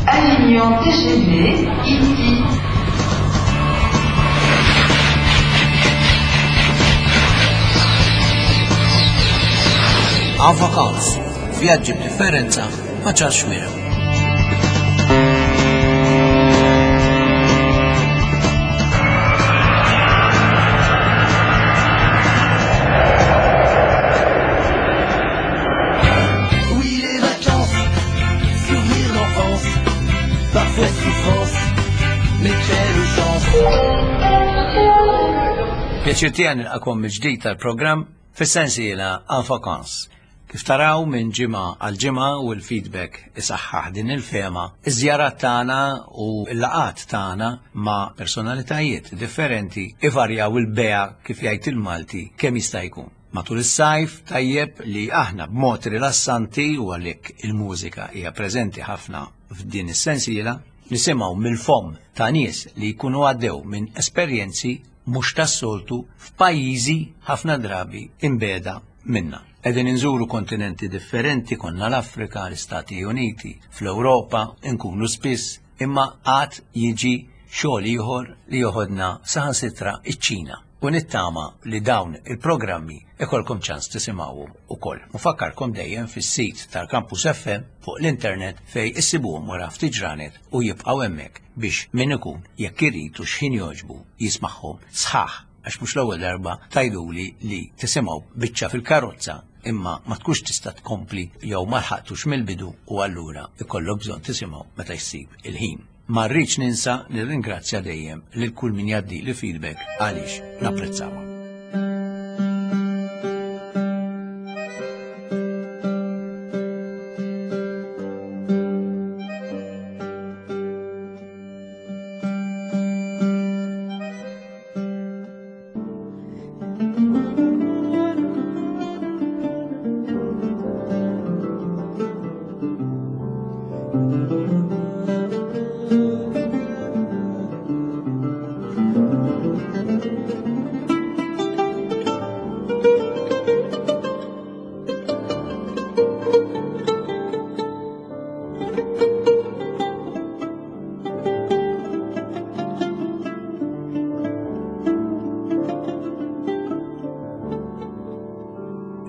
Avignon TGV, ici. En vacances, vjaġġi b'differenza ma' Charles Xuereb. Oui, les vacances, souvenirs d'enfance, parfois souffrance, mais quelle chance. Pjaċir tiegħi nilqakom mill-ġdid tal-programm fis-sensiela En Vacances. Kif taraw minn ġimgħa għal ġimgħa u l-feedback isaħħaħ din il-fehma, iż-żjarat tagħna u l-laqgħat tagħna ma' personalitajiet differenti ivarjaw il-bea kif jgħid il-Malti kemm jista' jkun. Matul is-sajf tajjeb li aħna b'mod rilassanti u għalhekk il-mużika hija preżenti ħafna f'din is-sensiela, nisimgħu mill-fomm ta' nies li jkunu għaddew minn esperjenzi mhux tas-soltu f'pajjiżi ħafna drabi imbegħda minna. Qegħdin inżuru kontinenti differenti, konna l-Afrika, l-Istati Uniti, fl-Ewropa, nkunu spiss, imma għad jiġi xogħol ieħor li joħodna saħansitra iċ-Ċina. U nittama li dawn il-programmi ikolkom ċans tisimgħuhom ukoll. Nfakkarkom dejjem fis-sit tal-Campus FM fuq l-internet fej issibuhom wara ftit ġranet u jibqgħu hemmhekk biex min ikun jekk irid u x'ħin jogħġbu jismagħhom sħaħ għax mhux l-ewwel darba tgħiduli li tisimgħu biċċa fil-karozza imma ma tkunx tista' tkompli jew ma lħaqtux mill-bidu u allura ikollok bżonn tisimgħu meta jsib il-ħin. Ma rridx ninsa nirringrazzja dejjem lil kull min jgħaddi li feedback għaliex napprezzawha.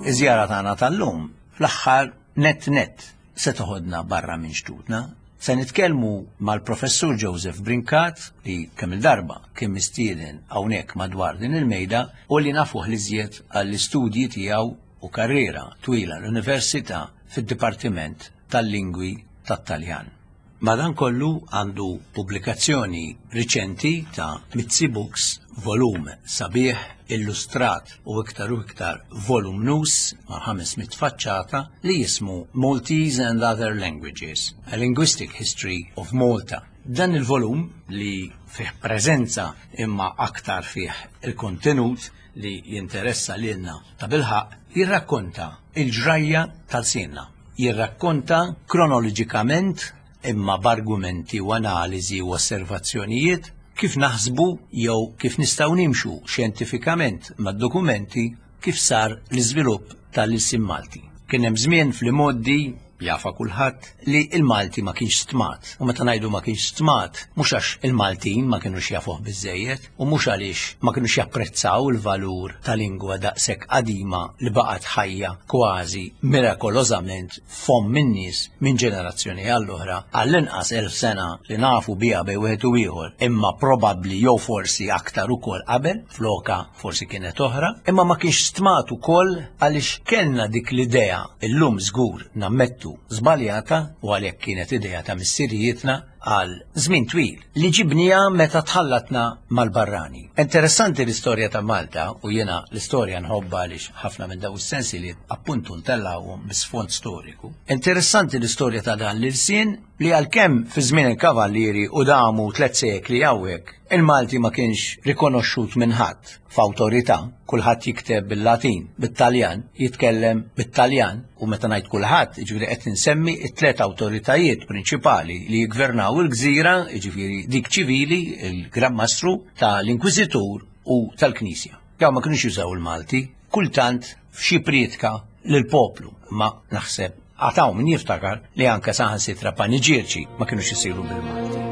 Iż-żjara tagħna tal-lum fl-aħħar net net se toħodna barra minn xtutna. Se nitkellmu mal-professur Joseph Brincat li kemm il-darba kien mistieden hawnhekk madwar din il-mejda u li nafuh l-iżjed għall-istudji tiegħu u karriera twila l-Università fid-Dipartiment tal-Lingwi tat-Taljan. Madankollu għandu pubblikazzjoni riċenti ta' Mizzi Books, volum sabiħ, illustrat u iktar u iktar volumnus ma' 500 faċċata li jismu Maltese and Other Languages, A Linguistic History of Malta. Dan il-volum li fih preżenza imma aktar fih il-kontenut li jinteressa lilna ta' bilħaqq jirrakkonta il-ġrajja tal-sienna. Jirrakkonta kronoloġikament imma b'argumenti u analiżi u osservazzjonijiet kif naħsbu jew kif nistgħu nimxu xjentifikament mad-dokumenti kif sar l-iżvilupp tal-ilsien Malti. Kien hemm żmien fl-imgħoddi jafa kulħadd li il-Malti ma kienx stmat. U meta ngħidu ma kienx stmat, mhux għax il-Maltin ma kinux jafuh biżejjed u mhux għaliex ma kinux japprezzaw il-valur ta' lingwa daqshekk qadima li baqgħet ħajja kważi mirakolożament fomm in-nies minn ġenerazzjoni għall-oħra għall-inqas 1000 sena li nafu biha bejn wieħed u ieħor, imma probabbli jew forsi aktar ukoll qabel, floka forsi kienet oħra, imma ma kienx stmat ukoll għaliex kellna dik l-idea illum żgur nammettu żbaljata u għalhekk kienet idea ta' missirijietna għal żmien twil li ġibnija meta tħallatna mal-barrani. Interessanti l-istorja ta' Malta u jiena l-istorja nħobba għaliex ħafna minn daw is-sensi li appuntu ntellgħuhom bi sfond storiku. Interessanti l-istorja ta' dan l-ilsien li għalkemm fi żmien il-kavallieri u damu tliet sekli hawnhekk, il-Malti ma kienx rikonoxxut minn ħadd f'awtorità, kulħadd jikteb bil-Latin, bit-Taljan, jitkellem bit-Taljan, u meta ngħid kulħadd, jiġifieri qed insemmi t-tliet awtoritajiet prinċipali li jiggvernaw il-gżira, jiġifieri dik ċivili, il-Gran Mastru, tal-Inkwiżitur u tal-Knisja. Dawn ma kinux jużaw il-Malti, kultant f'xi prietka lill-poplu, ma naħseb. Għataw min jiftakar li anke saħansitra paniġierċi ma kinux isiru bil-Malti.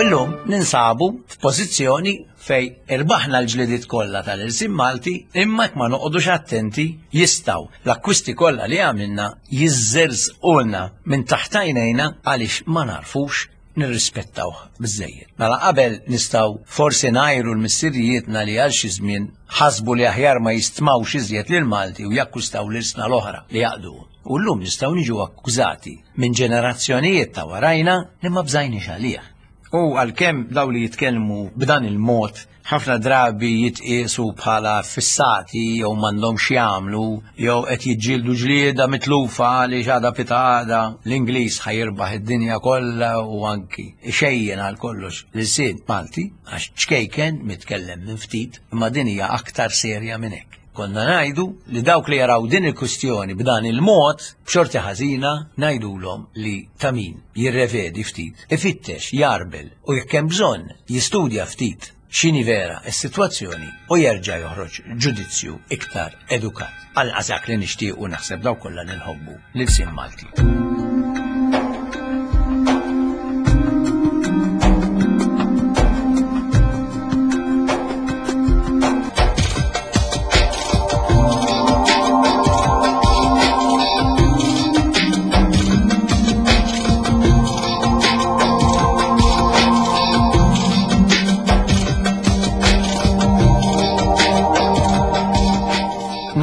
Illum ninsabu f'pożizzjoni fej irbaħna l-ġlidiet kollha tal-ilsien Malti imma jekk ma noqogħdux attenti jistgħu l-akkwisti kollha li għamilna jiżżerżqulna minn taħt għajnejna għaliex ma narfux nirrispettawh biżżejjed. Mela qabel nistgħu forsi ngħajru l-missirijietna li għal xi żmien ħasbu li aħjar ma jistmawx iżjed lil Malti u jakkwistaw l-ilsna l-oħra li jaqdu. U llum nistgħu niġu akkużati minn ġenerazzjonijiet ta' warajna li ma bżajniex għalih. U għalkemm daw li jitkellmu b'dan il-mod ħafna drabi jitqiesu bħala fissati jew m'għandhomx jagħmlu jew qed jiġġieldu ġlieda mitlufa għaliex għada pitgħada l-Ingliż ħa jirbaħ id-dinja kollha u anki xejjen għal kollox l-ilsien Malti għax ċkejken mitkellem minn ftit imma din hija aktar serja minn hekk. Konna ngħidu li dawk li jaraw din il-kwistjoni b'dan il-mod, b'xorti ħażina ngħidulhom li ta' min jirrevedi ftit, ifittex, jarbel u jekk hemm bżonn jistudja ftit x'inhi vera s-sitwazzjoni u jerġa' joħroġ ġudizzju iktar edukat. Anqas dak li nixtiequ naħseb dawk kollha li nħobbu l-ilsien Malti.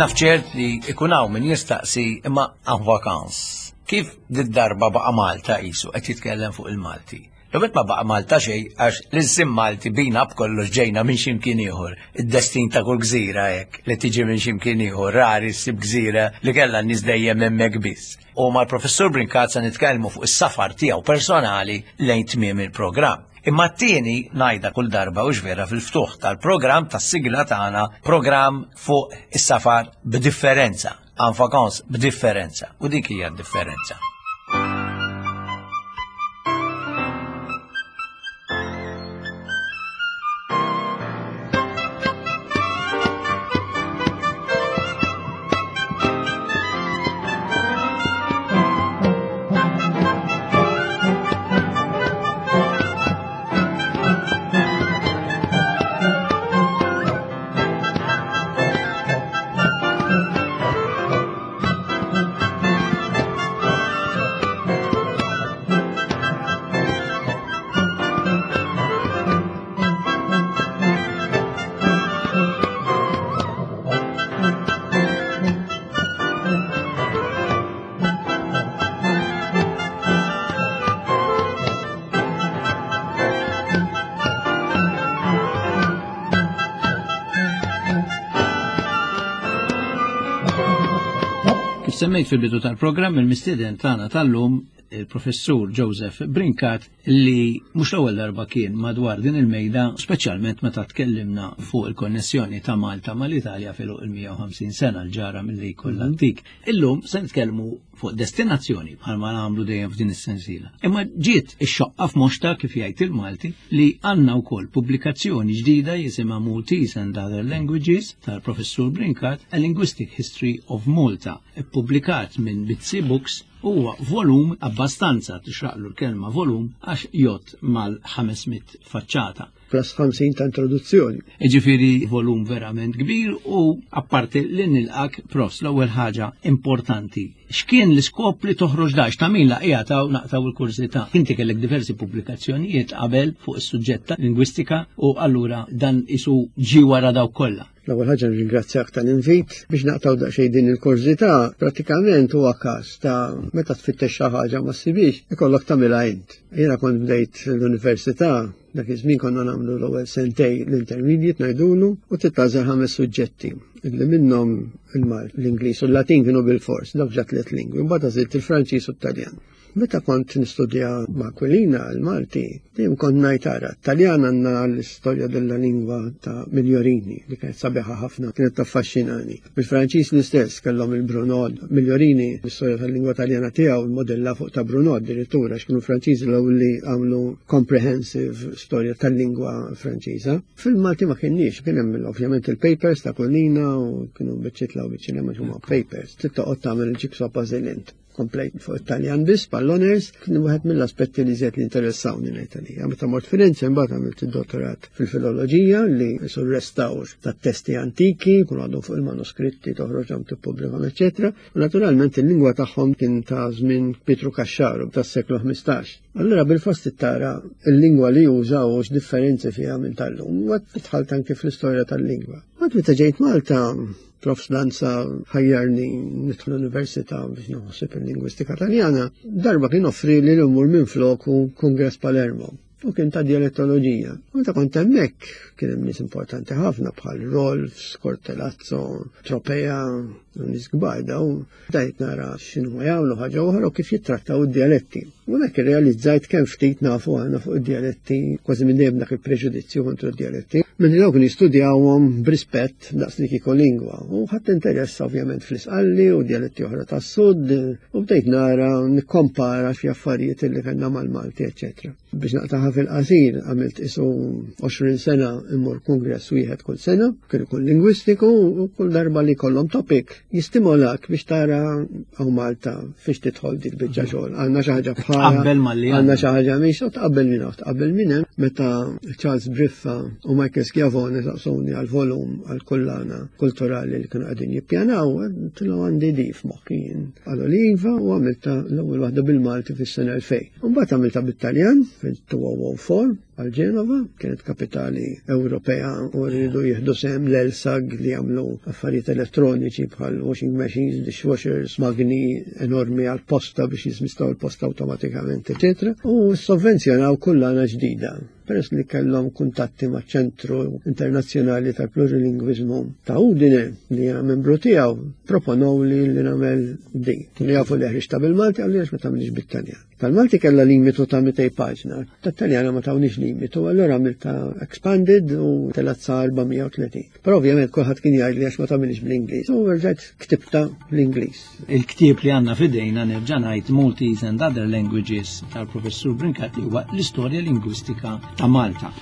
Naf ċert li ikun hawn min jistaqsi imma en vacances. Kif did-darba baqa' Malta qisu qed jitkellem fuq il-Malti? L-ewwel ma baqa' Malta xejn għax l-ilsien Malti bina b'kollox ġejna minn xi mkien ieħor. Id-destin ta' kull gżira hekk li tiġi minn xi mkien ieħor, rari ssib gżira li kellha n-nies dejjem hemmhekk biss. U mal-Professur Brincat se nitkellmu fuq is-safar tiegħu personali lejn tmiem il-programm. Imma t-tieni ngħidha kull darba hux vera fil-ftuħ tal-programm tas-sigla tagħna, programm fuq is-safar b'differenza. En vacances b'differenza. U dik hija d-differenza. Kif semmejt fil-bidu tal-programm, il-mistieden tagħna tal-lum il-professur Joseph Brincat li mhux l-ewwel darba kien madwar din il-mejda, speċjalment meta tkellimna fuq il-konnessjoni ta' Malta mal-Italja fil il-150 sena l-ġara milli jkollha mhm. antik. Illum se nitkellmu fuq destinazzjoni bħalma nagħmlu dejjem f'din is-sensiela. Imma ġiet ix-xoqqa f'moxta kif jgħid il-Malti li għandna wkoll pubblikazzjoni ġdida jisimha Maltese and Other Languages tal-Professur Brincat, A Linguistic History of Malta, ippubblikat minn Bitsi Books huwa volum abbastanza tixraqlu l-kelma volum għax jgħodd mal-500 faċċata. plus 50 ta' introduzzjoni. Jiġifieri volum verament kbir u apparti li nilqak profs l-ewwel ħaġa importanti. X'kien l-iskop li toħroġ dax ta' min laqija ta' naqtaw il-kurżità. Inti kellek diversi pubblikazzjonijiet qabel fuq is-suġġett ta' lingwistika u allura dan isu ġi wara dawk kollha. L-ewwel ħaġa nirringrazzjak tal-invit biex naqtaw daqsxejn din il-kurżità, prattikament huwa każ ta' meta tfittex xi ħaġa ma ssibix, ikollok tagħmilha int. Jiena kont bdejt l-università, dak iż-żmien konna nagħmlu l-ewwel sentej l-intermediate ngħidulu u titgħażel ħames suġġetti illi minnhom il-Mal, l-Ingliż u l-Latin kienu bil-fors, dawk ġa tliet lingwi, mbagħad għażilt il-Franċiż u t-Taljan. Meta kont nistudja ma' Aquilina l-Malti, dejjem kont ngħid ara, Taljan għandna l-istorja della lingwa ta' Migliorini, li kienet sabiħa ħafna, kienet taffaxxinani. Bil-Franċiż l-istess kellhom il-Brunod, Migliorini l-istorja tal-lingwa Taljana tiegħu modella fuq ta' Brunod dirittura għax kienu Franċiżi l-ewwel li għamlu comprehensive storja tal-lingwa Franċiża. Fil-Malti ma kienniex, kien hemm ovvjament il-papers ta' Aquilina u kienu biċċiet law biċċiet ma huma papers. Trid toqgħod tagħmel il-jigsaw puzzle int. Komplejt fuq Italjan biss pal-honors, kien wieħed mill-aspetti li żied li interessawni ngħid għalija. Meta mort Firenze mbagħad għamilt id-dottorat fil-filoloġija li sur restawr tat-testi antiki, kun għadhom fuq il-manuskritti toħroġhom tippubblikhom, eċetera. U naturalment il-lingwa tagħhom kien ta' żmien Pietru Caxxaru tas-seklu 15. Allura bil-fost tara il-lingwa li jużaw u x'differenzi fiha minn tal-lum, u dħalt anke fl-istorja tal-lingwa. Mbagħad meta ġejt Malta, Prof Lanza ħajjarni nidħol l-università biex naħseb il-lingwistika Taljana, darba kien offri li l-umur minn floku Kongress Palermo u kien ta' dialettoloġija. U ta' kont hemmhekk kien hemm nies importanti ħafna bħal Rolf, Scortelazzo, Tropea, u nies kbar daw. Dajt nara x'inhu jagħmlu ħaġa oħra u kif jittrattaw id-dialetti. U hekk irrealizzajt kemm ftit nafu aħna fuq id-dialetti, kważi minn dejjem dak il-preġudizzju kontra d-dialetti. Minn dawk kienu jistudjawhom b'rispett daqs li kieku lingwa. U ħadd interess ovvjament fl-Isqalli u dialetti oħra tas-Sud u bdejt nara nikkompara xi affarijiet li kellna mal-Malti, eċċetera. Biex naqtaħa fil-qasir, għamilt isu 20 sena immur kongress wieħed kull sena, kien ikun lingwistiku u kull darba li kollhom topic jistimolak biex tara hawn Malta fiex tidħol dik biċċa xogħol. Għandna xi ħaġa bħala. Tqabbel malli għandna xi ħaġa mhix u tqabbel minn hawn, tqabbel minn hemm meta Charles Briffa u Michael Schiavone saqsuni għal volum għal kullana kulturali li kienu qegħdin jippjanaw, tilgħu għandi di f'moħħi jien. Qalu li iva u għamilta l-ewwel waħda bil-Malti fis-sena 2000. Mbagħad għamilta bit-Taljan fil-2004 għal Ġenova, kienet kapitali Ewropea u rridu jieħdu sehem l-ELSAG li jagħmlu affarijiet elettroniċi bħal washing machines, dishwashers, magni enormi għal posta biex jiżmistaw il-posta awtomatikament, eċetera. U sovvenzjonaw kullana ġdida. Peress li kellhom kuntatti ma' ċentru internazzjonali tal-plurilingwiżmu ta' Udine li jiena membru tiegħu, proponow li li nagħmel di. Kienu jafu li ħriġta bil-Malti għalli għax ma tagħmilx bit-Taljan. Tal-Malti kellha limitu ta' 200 paġna, tat-Taljana ma tawniex limitu, allura għamilta expanded u telgħet sa 430. Però ovvjament kulħadd kien jgħid li għax ma tagħmilx bl-Ingliż. U rġajt ktibta bl-Ingliż. Il-ktieb li għandna f'idejna nerġa' ngħid Maltese and Other Languages tal-Professur Brincat li huwa l-istorja lingwistika ta' Malta.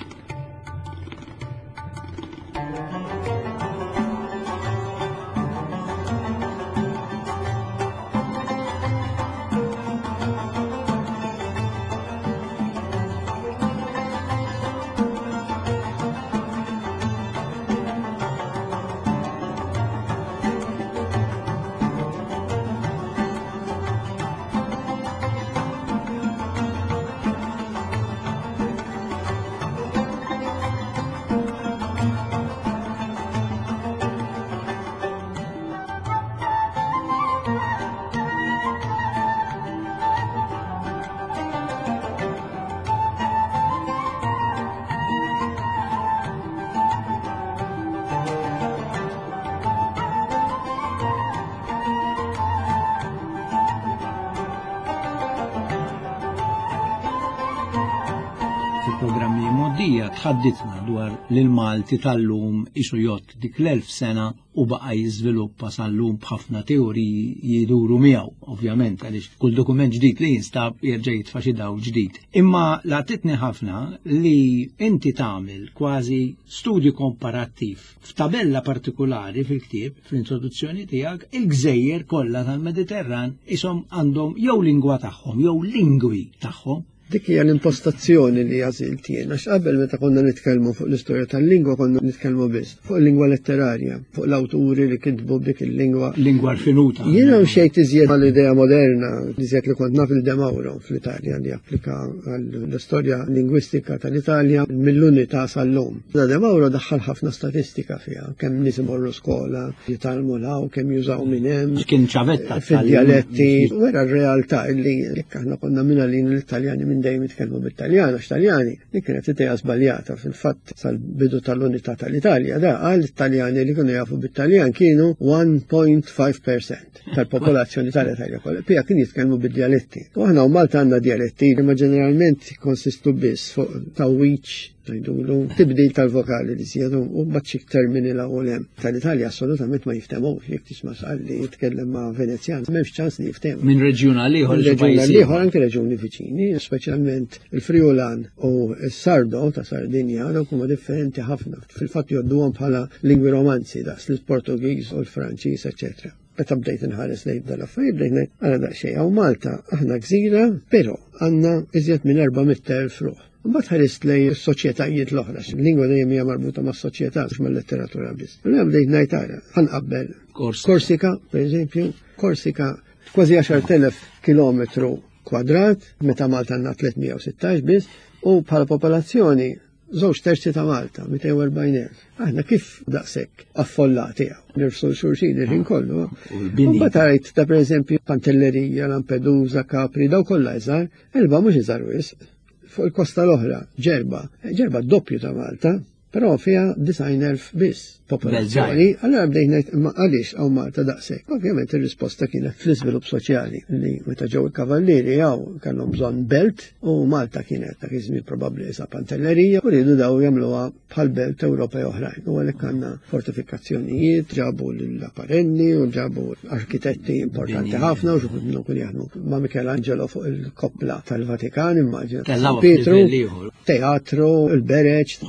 Fil-programmi moddija tħadditna dwar l-Malti tal-lum isu jott dik l-1000 sena u baqa' jiżviluppa sal-lum b'ħafna teoriji jiduru miegħu, ovvjament, għaliex kull dokument ġdid li jinstab jerġa' jitfa' xi dawl ġdid. Imma laqtitni ħafna li inti tagħmel kważi studju komparattiv f'tabella partikulari fil-ktieb, fl-introduzzjoni tiegħek, il-gżejjer kollha tal-Mediterran ishom għandhom jew lingwa tagħhom jew lingwi tagħhom. Dik hija l-impostazzjoni li għażilt jien, għax qabel meta konna nitkellmu fuq l-istorja tal-lingwa konna nitkellmu biss fuq il-lingwa letterarja, fuq l-awturi li kitbu b'dik il-lingwa. Lingwa rfinuta. Jiena mxejt iżjed mal-idea moderna, iżjed li kont naf il-De Mauro fl-Italja li applika l-istorja lingwistika tal-Italja mill-unità sal-lum. Da De Mauro daħħal ħafna statistika fiha, kemm nies imorru skola, jitgħallmu law, kemm jużaw minn hemm. Kien ċavetta. Fid-dialetti. Wera r-realtà illi jekk aħna konna minn għalin l-Italjani minn dejjem jitkellmu bit-Taljan, għax Taljani, li kienet idea żbaljata fil-fatt sal-bidu tal-unità tal-Italja, da għal Taljani li kienu jafu bit-Taljan kienu 1.5% tal-popolazzjoni tal-Italja kollha. Pija kien jitkellmu bid-dialetti. U aħna u Malta għandna dialetti li ma ġeneralment konsistu biss fuq tawwiċ ngħidulu tibdil tal-vokali li żjedu u mbagħad xi termini l hawn hemm. Tal-Italja assolutament ma jiftemux jekk tisma' sqalli jitkellem ma' Venezjan, m'hemmx ċans li jiftehmu. Minn reġjun għal ieħor. Minn reġjun għal ieħor anke reġjuni viċini, speċjalment il-Friulan u s-Sardo ta' Sardinja, dawk huma differenti ħafna. Fil-fatt jgħodduhom bħala lingwi romanzi daqs l-Portugiż u l-Franċiż, eċċetera. Meta bdejt inħares lejn dal-affarijiet bdejt ngħid ara daqsxejn hawn Malta aħna gżira, però għandna iżjed minn 400,000 ruħ. Mbagħad ħarist lejn is-soċjetajiet l-oħra, lingwa dejjem hija marbuta mas-soċjetà mhux mal-letteratura biss. Allura bdejt ngħid ara, ħanqabbel Korsika, pereżempju, Korsika kważi 10,000 kilometru kwadrat, meta Malta għandna 316 biss, u bħala popolazzjoni żewġ terzi ta' Malta, 240,000. Aħna kif daqshekk affollati hawn, nirfsu xulxin il-ħin kollu. U mbagħad ta' pereżempju Pantellerija, Lampedusa, Capri, daw kollha iżgħar, Elba mhux iżgħar wisq. Fuq il-kosta l-oħra, Ġerba, Ġerba doppju ta' Malta, però fiha 90,000 biss popolazzjoni. Allora bdejt ngħid imma għaliex hawn Malta daqshekk. Ovvjament ir-risposta kienet fl-iżvilupp soċjali li meta ġew il-kavallieri hawn kellhom bżonn belt u Malta kienet dak iż-żmien probabbli isa Pantellerija u riedu daw jagħmluha bħal belt Ewropej oħrajn. U għalhekk għandna fortifikazzjonijiet, ġabu l-apparenni u ġabu arkitetti importanti ħafna u xi minnhom kienu jaħdmu ma' Michelangelo fuq il-koppla tal-Vatikan, immaġina. Pietru, teatru, il-bereġ.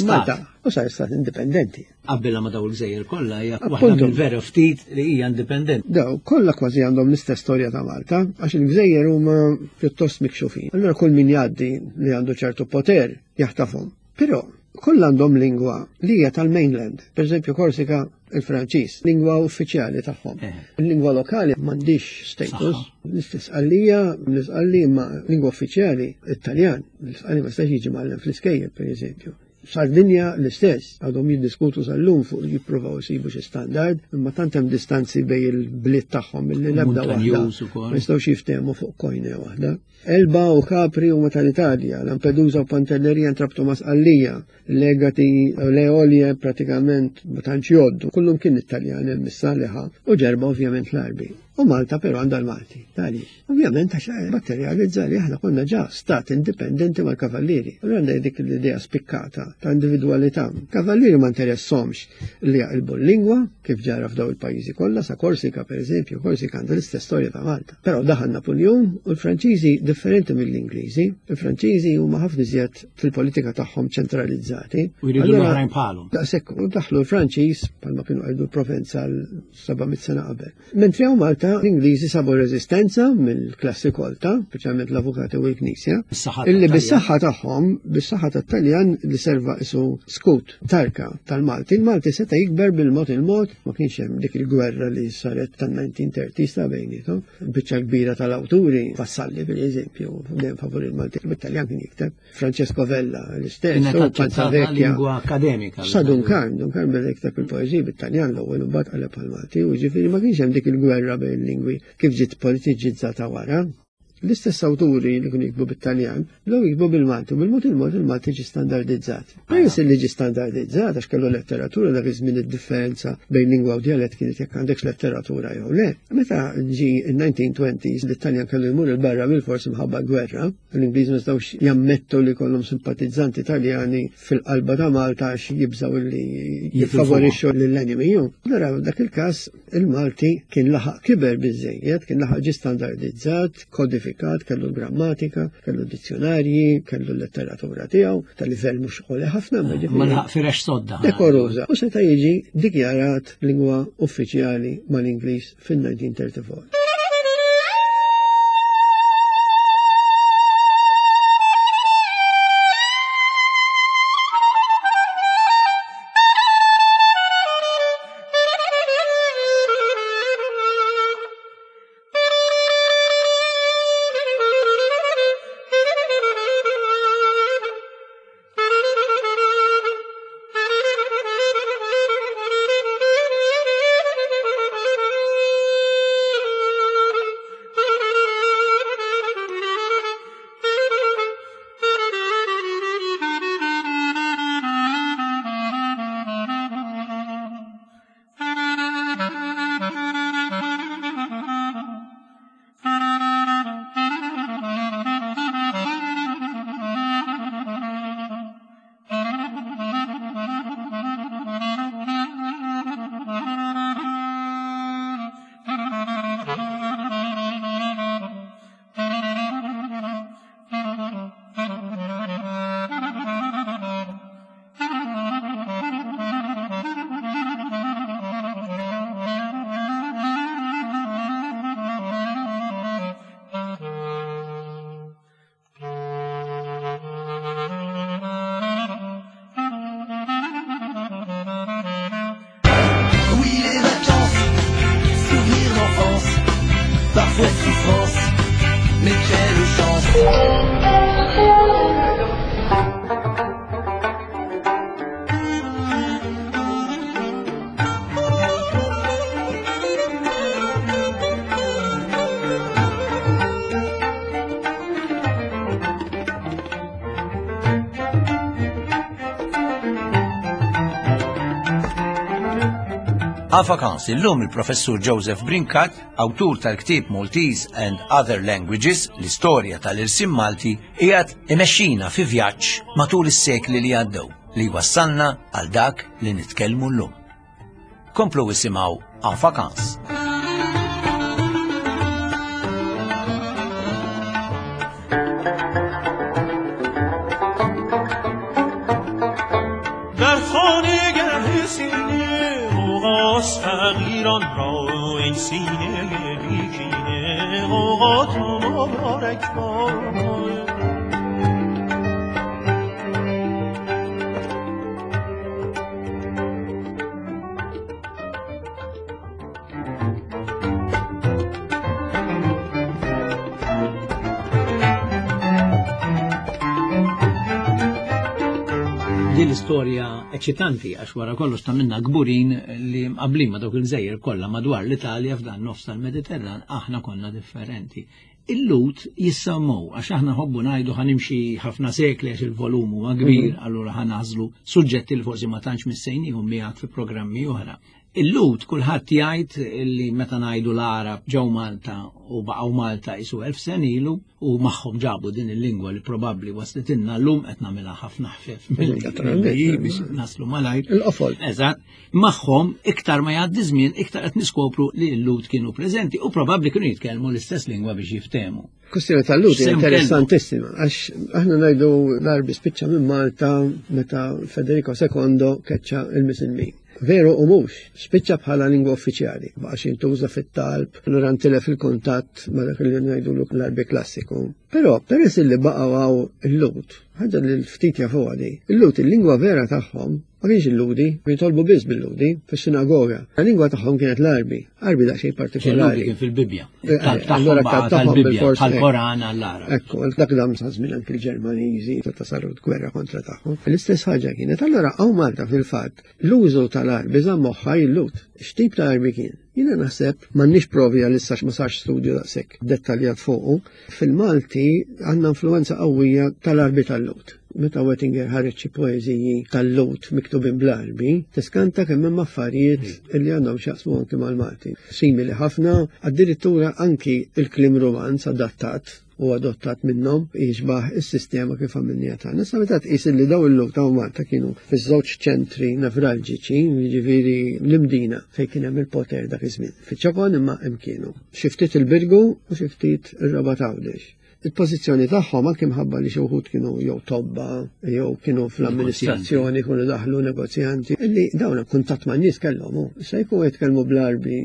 Malta. U sar stat indipendenti. Qabbilha ma' daw il-gżejjer kollha hija waħda mill-vera ftit li hija indipendenti. Daw kollha kważi għandhom l-istess storja ta' Malta, għax il-gżejjer huma pjuttost mikxufin. Allura kull min jgħaddi li għandu ċertu poter jaħtafhom. Però kollha għandhom lingwa li hija tal-mainland. Per eżempju Korsika il-Franċiż, lingwa uffiċjali tagħhom. Eh. Il-lingwa lokali m'għandix status. L-istess għalija, l-isqalli ma lingwa uffiċjali, it-Taljan, l-isqalli ma stax jiġi mgħallem fl-iskejjel, per eżempju. Sardinja l-istess, għadhom jiddiskutu sal-lum fuq jippruvaw isibu xi standard, imma tant hemm distanzi bej il-bliet tagħhom milli l-ebda waħda. Ma jistgħux jiftehmu fuq kojne waħda. Elba u Capri huma tal-Italja, Lampedusa u Pantelleria ntrabtu ma' Sqallija, Legati l-Eolje pratikament ma tantx jgħoddu, kullum kien Italjan hemm issa liħa u Ġerba ovvjament l-Għarbi. U Malta però għandha l-Malti. Għaliex? Ovvjament għax materializza li aħna konna ġa stat indipendenti mal-kavallieri. Allura għandha dik l-idea spikkata ta' individwalità. Kavallieri ma interessomx li jaqilbu l-lingwa kif ġara f'daw il-pajjiżi kollha, sa Korsika pereżempju, Korsika għandha l-istess storja ta' Malta. Però daħal Napuljun u l-Franċiżi differenti mill-Ingliżi. Il-Franċiżi huma ħafna iżjed fil-politika tagħhom ċentralizzati. U jridu l-oħrajn bħalhom. Daqshekk u daħlu l-Franċiż bħalma kienu qegħdu l-Provenza l-700 sena qabel. Mentri hawn Malta l-Ingliżi sabu reżistenza mill-klassi kolta, speċjalment l-avukati u l-Knisja, illi bis-saħħa tagħhom, bis-saħħa tat-Taljan li serva isu skut tarka tal-Malti. Il-Malti seta' jikber bil-mod il-mod, ma kienx hemm dik il-gwerra li saret tan-1930s ta' bejnietom. Biċċa kbira tal-awturi, Vassalli per eżempju, dejjem favur il-Malti, bit-Taljan kien jikteb. Francesco Vella, l-istess, u Panzavecchia. Lingwa akademika. Sa Duncan, Duncan beda jikteb il-poeżiji bit-Taljan l-ewwel u mbagħad qaleb għall-Malti, u ġifieri ma kienx hemm dik il-gwerra bejn il-lingwi kif ġiet politiċizzata wara. L-istess awturi li kienu jiktbu bit-Taljan, bdew jiktbu bil-Malti, u bil-mod il-mod il-Malti ġie standardizzat. Peress li ġie standardizzat għax kellu letteratura dak iż-żmien id-differenza bejn lingwa u djalett kienet jekk għandekx letteratura jew le. Meta ġie in-1920s l-Italjan kellu jmur il-barra bil-fors imħabba gwerra, l-Ingliż ma setgħux jammettu li kollhom simpatizzanti Taljani fil-qalba ta' Malta għax jibżgħu li jiffavorixxu lill-enemy. Allura dak il-każ Il-Malti kien laħaq kiber biżżejjed, kien laħaq ġie standardizzat, kodifikat, kellu l-grammatika, kellu dizzjonarji, kellu l-letteratura tiegħu, ta' livell mhux għoli ħafna, ma ġifieri. Ma laħaq firex sodda. Dekoruża. U seta' jiġi dikjarat lingwa uffiċjali mal-Ingliż fin-1934. Parfois souffrance, mais quelle chance. En vacances illum il-professur Joseph Brincat, awtur tal-ktieb Maltese and Other Languages, l-istorja tal-irsim Malti, qiegħed imexxina fi vjaġġ matul is-sekli li għaddew li wassalna għal dak li nitkellmu llum. Komplu isimgħu En vacances. در خانه گه سینه غوغاست فقیران را این سینه بیکینه غوغات مبارک باد. Din l-istorja eċitanti għax wara kollox ta' minna kburin li mqablin ma' dawk il-gżejjer kollha madwar l-Italja f'dan nofs tal-Mediterran aħna konna differenti. Il-Lut jissammow għax aħna ħobbu ngħidu ħanimxi ħafna sekli għax il-volum huwa kbir, allura ħanażlu suġġetti li forsi ma tantx missejnihom miegħek fi programmi oħra. Il-Lut kulħadd jgħid li meta ngħidu l-Għarab ġew Malta u baqgħu Malta isu 1000 sen ilu u magħhom ġabu din il-lingwa li probabbli waslitilna llum qed nagħmilha ħafna ħfef mill-li biex naslu malajr. Il-qofol. Eżatt. Magħhom iktar ma jgħaddi żmien iktar qed niskopru li l-Lut kienu preżenti u probabbli kienu jitkellmu l-istess lingwa biex jiftehmu. Kwestjoni tal-Lut hija X'sehem kellu? interessantissima għax aħna ngħidu l-Għarbi spiċċa minn Malta meta Federico secondo keċċa il-Misilmin. Veru u mhux, spiċċa bħala lingwa uffiċjali, baqax jintuża fit-talb, allura ntilef il-kuntatt ma' dak li ngħidu l-Għarbi klassiku. Però peress li baqgħu hawn il-Lut, ħaġa li ftit jafuha di, il-Lut il-lingwa vera tagħhom ma kienx il-Ludi, kienu jitolbu biss bil-Ludi fis-sinagoga. La-lingwa tagħhom kienet l-Għarbi, Għarbi daqsxejn partikolari. Il-Ludi kien fil-Bibbja. Il-talb tagħhom Allura baqa' t-talb tagħhom tal-Bibbja, bil-fors, bħall-Koran għall-Għarab. Ekku, dak dam sa żmien anki l-Ġermaniżi meta saru gwerra kontra tagħhom. L-istess ħaġa kienet. Allura hawn Malta fil-fatt l-użu tal-Għarbi żamm moħħha il-Lut. X'tip ta' Għarbi kien? Jiena naħseb m'għandniex provi għalissa ma sarx studju daqshekk dettaljat fuqu. Fil-Malti għandna influenza qawwija tal-Għarbi tal-Lut. Meta Wettinger ħareġ xi poeżiji tal-Lut miktubin bl-Għarbi, tiskanta kemm hemm affarijiet li għandhom x'jaqsmu anki mal-Malti. Simili ħafna, addirittura anki il-kliem Romanz adattat u adottat minnhom jixbaħ is-sistema kif għamilniha tagħna. Issa meta tqis li daw il-Lut ta' Malta kienu fiż-żewġ ċentri nevralġiċi, jiġifieri l-Imdina fejn kien hemm il-poter dak iż-żmien. Fiċ-Ċokon imma hemm kienu. Xi ftit il-Birgu u xi ftit ir-Rabat Għawdex. Il-pożizzjoni tagħhom anke mħabba li xi wħud kienu jew tobba jew kienu fl-amministrazzjoni, kienu daħlu negozjanti, illi dawn kuntatt ma' nies kellhom. Issa jkunu jitkellmu bl-Għarbi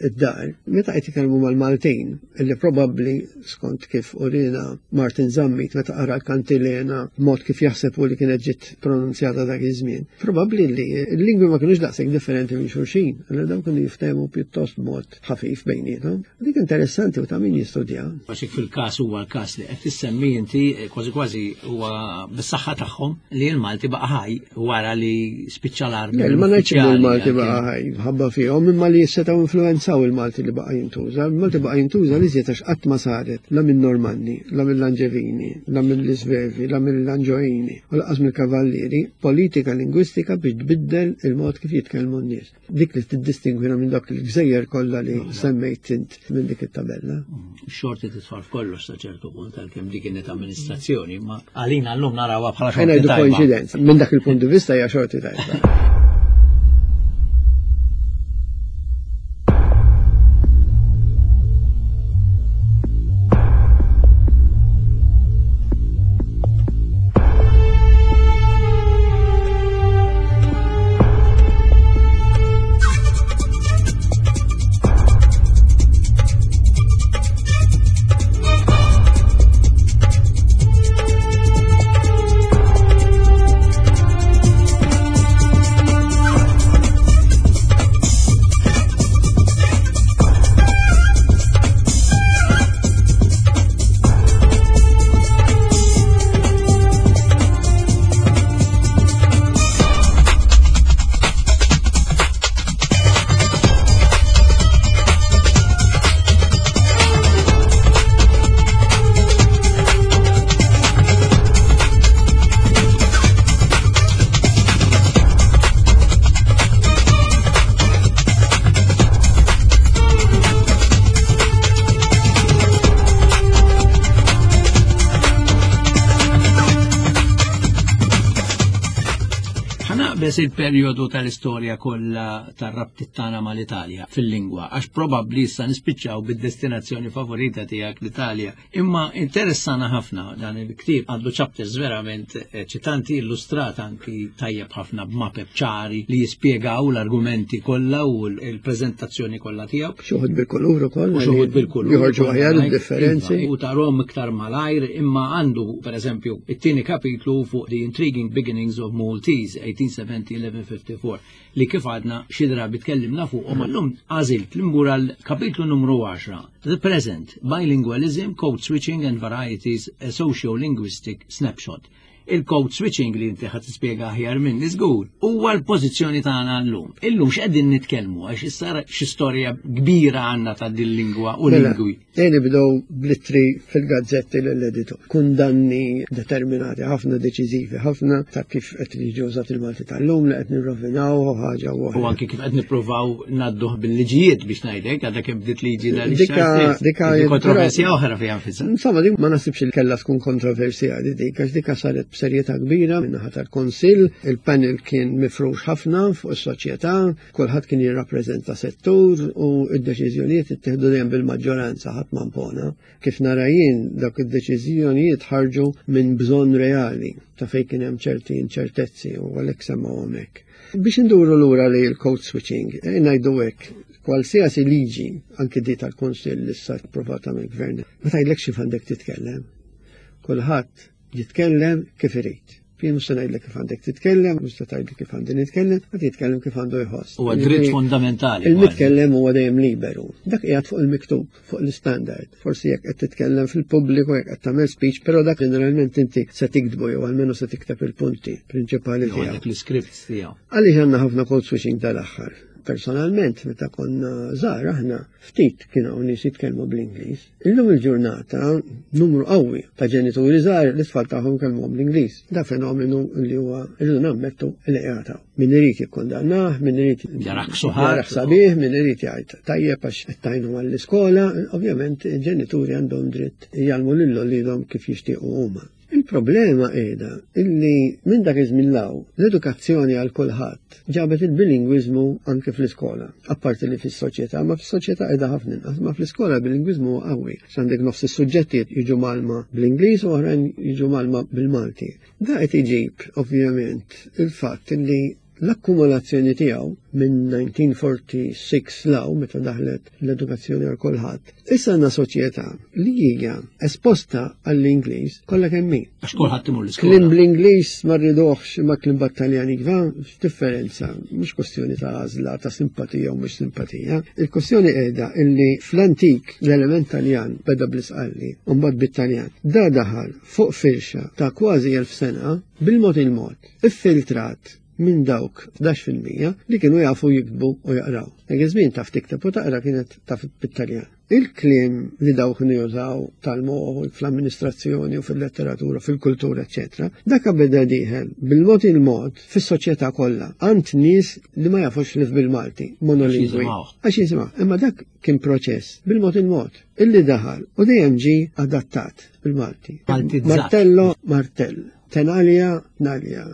id-dar, meta qed jitkellmu mal-Maltin, illi probabbli skont kif urina Martin Zammit meta qara l-kantilena mod kif jaħseb u li kienet ġiet pronunzjata dak iż-żmien, probabbli li l-lingwi ma kinux daqshekk differenti minn xulxin, allura dawn kienu jiftehmu pjuttost mod ħafif bejniethom. Dik interessanti u ta' min jistudja. Għax hekk fil-każ huwa l-każ li qed tissemmi inti kważi kważi huwa bis-saħħa tagħhom li l-Malti baqa' ħaj wara li spiċċa l-Għarbi. Le, ma ngħidx li l-Malti uffiċjali baqa' ħaj, ħabba fihom, imma li setgħu influenzaw il-Malti li baqa' jintuża. Il-Malti baqa' jintuża li żied għax qatt ma saret la minn Normanni, la mill-Anġevini, la mill-Isvevi, la mill-Anġoini, u lanqas mill-Kavallieri, politika lingwistika biex tbiddel il-mod kif jitkellmu n-nies. Dik li tiddistingwina minn dak il-gżejjer kollha li semmejt int minn dik it-tabella. Xorti titfal f'kollox sa ċertu punt għalkemm dik kienet amministrazzjoni, ma għalina llum narawha bħala xorti Ħa ngħidu tajba. koinċidenza, minn dak il-punt di vista hija xorti tajba. Qabeż il-perjodu tal-istorja kollha tar-rabtiet tagħna mal-Italja fil-lingwa, għax probabbli issa nispiċċaw bid-destinazzjoni favorita tiegħek l-Italja. Imma interessana ħafna dan il-ktieb, għandu chapters verament eċitanti, illustrat anki tajjeb ħafna b'mapep ċari li jispjegaw l-argumenti kollha u l-preżentazzjoni kollha tiegħu. Xi wħud bil-kulur ukoll. U xi wħud bil-kulur. Joħorġu aħjar id-differenzi. Iva, u tarhom iktar malajr, imma għandu pereżempju it-tieni kapitlu fuq The Intriguing Beginnings of Maltese 1870-1154 li kif għadna xi drabi tkellimna fuqhom, illum għażilt li mmur għal kapitlu numru 10, The Present, Bilingualism, Code Switching and Varieties, a Socio-Linguistic Snapshot. Il-code switching li inti ħadd tispjega aħjar minni żgur, huwa l-pożizzjoni tagħna llum. Illum x'qegħdin nitkellmu għax issa xi storja kbira għandna ta' din lingwa u Mela, lingwi. Ejja nibdew bl-ittri fil-gazzetti lill-editur. Kundanni determinati ħafna, deċiżivi ħafna ta' kif qed jiġi użat il-Malti tal-lum li qed nirrovinaw u ħaġa u U anki kif qed nippruvaw ngħadduh bil-liġijiet biex ngħidlek, għadha kemm bdiet liġi dan ix-xahar stess. Dika kontroversja oħra fiha nfisha. Insomma, dik ma nasibx li kellha tkun kontroversjali dik, għax dika saret b'serjetà kbira min-naħa tal-Kunsill, il-panel kien mifrux ħafna fuq is-soċjetà, Kulħadd kien jirrappreżenta settur u d-deċiżjonijiet ittieħdu dejjem bil-maġġoranza, ħadd ma impona. Kif nara jien, dawk id-deċiżjonijiet ħarġu minn bżonn reali ta' fejn kien hemm ċerti inċertezzi u għalhekk semmawhom hekk. Biex induru lura li l-code switching, ngħidu hekk, kwalsiasi liġi, anki di tal-Kunsill li issa approvata mill-Gvern, ma tgħidlekx kif għandek titkellem. Kulħadd jitkellem kif irid. Jien mhux se ngħidlek kif għandek titkellem, mhux se tgħidli kif għandi nitkellem, qed jitkellem kif għandu jħoss. Huwa dritt fundamentali. Il-mitkellem huwa dejjem liberu. Dak qiegħed fuq il-miktub, fuq l-istandard. Forsi jekk qed titkellem fil-pubbliku, jekk qed tagħmel speech, però dak ġeneralment inti se tiktbu jew almenu se tikteb il-punti prinċipali tiegħek. Dak l-iscript tiegħu. Għaliex għandna ħafna code switching tal-aħħar? Personalment, meta konna żgħar aħna ftit kien hawn nies jitkellmu bl-Ingliż. Illum il-ġurnata numru qawwi ta' ġenituri żgħar li t-tfal tagħhom kellmuhom bl-Ingliż. Da fenomenu li huwa rridu nammettu li qiegħed hawn. Min irid jikkundannah, min irid jarah sabiħ, min irid jgħid tajjeb għax qed tgħinu għall-iskola, ovvjament il-ġenituri għandhom dritt jgħallmu lil uliedhom kif jixtiequ huma. Il-problema qiegħda illi minn dak iż-żmien 'l hawn l-edukazzjoni għal kulħadd ġabet il-bilingwiżmu anke fl-iskola. Apparti li fis-soċjetà, ma fis-soċjetà qiegħda ħafna inqas, ma fl-iskola l-bilingwiżmu huwa qawwi. Għax għandek nofs is-suġġetti jiġu mgħallma bl-Ingliż u oħrajn jiġu mgħallma bil-Malti. Da qed iġib ovvjament il-fatt illi L-akkumulazzjoni tiegħu minn 1946 'l hawn meta daħlet l-edukazzjoni għal kulħadd, issa għandna soċjetà li hija esposta għall-Ingliż kollha kemm hi. Għax kulħadd imur l-iskola. Kliem bl-Ingliż ma rriduhx imma kliem b'Taljan iva, x'differenza, mhux kwestjoni ta' għażla, ta' simpatija u mhux simpatija. Il-kwestjoni qiegħda illi fl-antik l-element Taljan beda bl-Isqalli u mbagħad bit-Taljan. Da daħal fuq firxa ta' kważi 1000 sena bil-mod il-mod. Iffiltrat minn dawk 11% li kienu jafu jiktbu u jaqraw. Dak iż-żmien taf tikteb u taqra kienet taf bit-Taljan. Il-kliem li dawk kienu jużaw tal-moħħ fl-amministrazzjoni u fil-letteratura, fil-kultura, eċċetera, dak beda dieħel bil-mod il-mod fis-soċjetà kollha għand nies li ma jafux li bil-Malti, monolingwi. Għax jisimgħu, imma dak kien proċess bil-mod il-mod illi daħal u dejjem ġie adattat bil-Malti. Martello, martell. Tenalja, tnalja,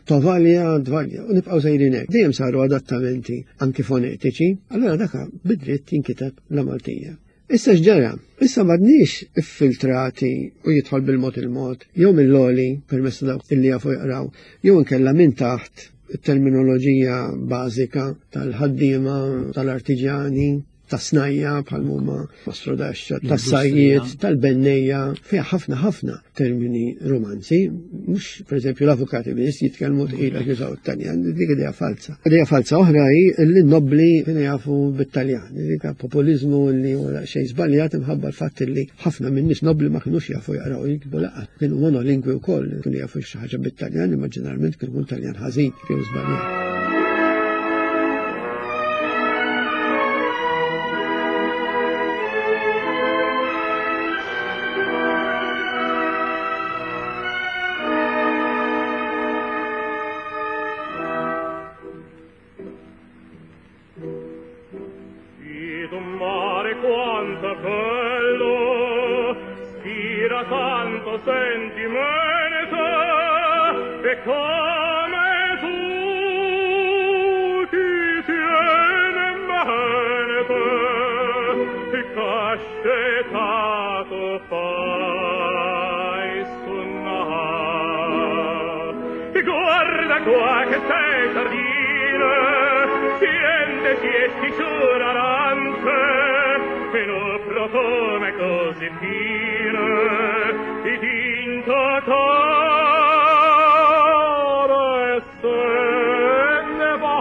tovalja, dvalja, u nibqgħu sejrin hekk. Dejjem saru adattamenti anki fonetiċi, allura daka bidritt jinkiteb la Maltija. Issa x'ġara? Issa m'għadniex iffiltrati u jidħol bil-mod il-mod, jew mill-għoli permezz ta' dawk illi jafu jaqraw, jew inkella minn taħt it-terminoloġija bażika tal-ħaddiema, tal-artiġjani, ta' snajja bħal huma mastrodaxxa, ta' sajjiet, tal-bennejja, fiha ħafna ħafna termini romanzi, mhux pereżempju l-avukati biss jitkellmu tqila jużaw it-Taljan, dik idea falsa. Idea falsa oħra hi li n-nobbli kienu jafu bit-Taljan, dik populiżmu li huwa xejn żbaljat imħabba l-fatt li ħafna minn nies nobbli ma kinux jafu jaqraw jiktbu laqgħa. Kienu monolingwi wkoll, kienu jafu xi ħaġa bit-Taljan, imma ġeneralment kienu Taljan ħażin jew żbaljat. Tanto sentimento e come tu Scetato fai sunnà. Guarda qua che sei sardine, siente siesti sull'arance, e no profume così fine, di tinto coro e se ne va.